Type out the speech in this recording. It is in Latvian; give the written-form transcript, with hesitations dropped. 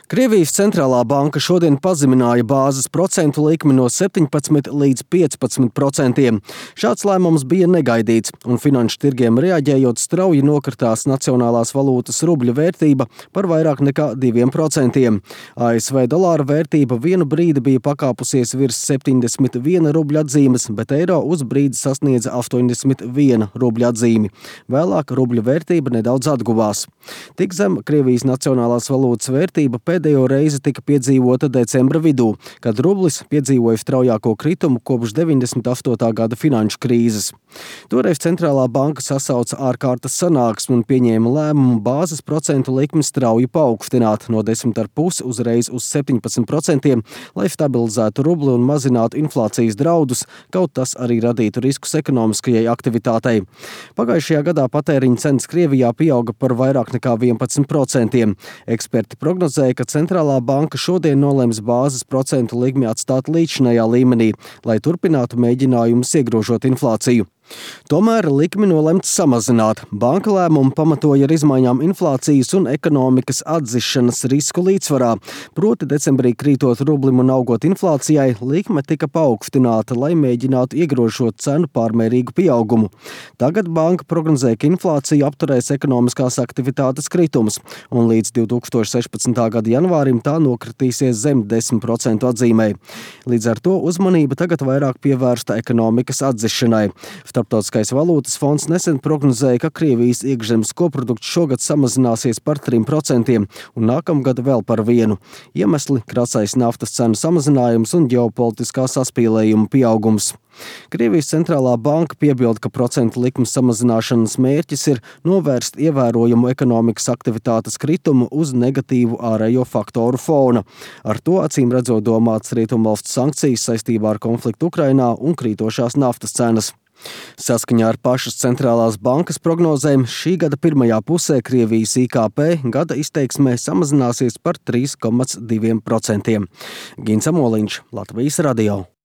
Krievijas centrālā banka šodien pazemināja bāzes procentu likmi no 17 līdz 15%. Šāds lēmums bija negaidīts, un finanšu tirgiem reaģējot strauji nokritās nacionālās valūtas rubļa vērtība par vairāk nekā 2%. ASV dolāra vērtība vienu brīdi bija pakāpusies virs 71 rubļa atzīmes, bet eiro uz brīdi sasniedza 81 rubļa atzīmi. Vēlāk rubļa vērtība nedaudz atguvās. Tik zem Krievijas nacionālās valūtas vērtība pēdējo reizi tika piedzīvota decembra vidū, kad rublis piedzīvoja straujāko kritumu kopš 98. gada finanšu krīzes. Toreiz centrālā banka sasauca ārkārtas sanāksmi un pieņēma lēmumu bāzes procentu likmi strauji paaugstināt no 10,5 uzreiz uz 17%, lai stabilizētu rubli un mazinātu inflācijas draudus, kaut tas arī radītu riskus ekonomiskajai aktivitātei. Pagājušajā gadā patēriņa cenas Krievijā pieauga par vairāk nekā 11%. Eksperti prognozēja, ka centrālā banka šodien nolems bāzes procentu likmi atstāt līdzinājā līmenī, lai turpinātu mēģinājumus iegrožot inflāciju. Tomēr likmi nolemts samazināt. Banka lēmumu pamatoja ar izmaiņām inflācijas un ekonomikas atzišanas risku līdzsvarā. Proti decembrī krītot rublim un augot inflācijai, likme tika paaugstināta, lai mēģinātu iegrožot cenu pārmērīgu pieaugumu. Tagad banka prognozē, ka inflācija apturēs ekonomiskās aktivitātes kritumus, un līdz 2016. gada janvārim tā nokritīsies zem 10% atzīmē. Līdz ar to uzmanība tagad vairāk pievērsta ekonomikas atzišanai. Starptautiskais valūtas fonds nesen prognozēja, ka Krievijas iekšzemes koprodukts šogad samazināsies par 3% un nākamgad vēl par 1%. Iemesli – krasais naftas cenu samazinājums un ģeopolitiskā saspīlējuma pieaugums. Krievijas centrālā banka piebilda, ka procentu likmes samazināšanas mērķis ir novērst ievērojamu ekonomikas aktivitātes kritumu uz negatīvu ārējo faktoru fona. Ar to acīm redzot domāts rietumvalstu sankcijas saistībā ar konfliktu Ukrainā un krītošās naftas cenas. Saskaņā ar pašas centrālās bankas prognozēm šī gada pirmajā pusē Krievijas IKP gada izteiksmē samazināsies par 3,2%. Gins Amoliņš, Latvijas radio.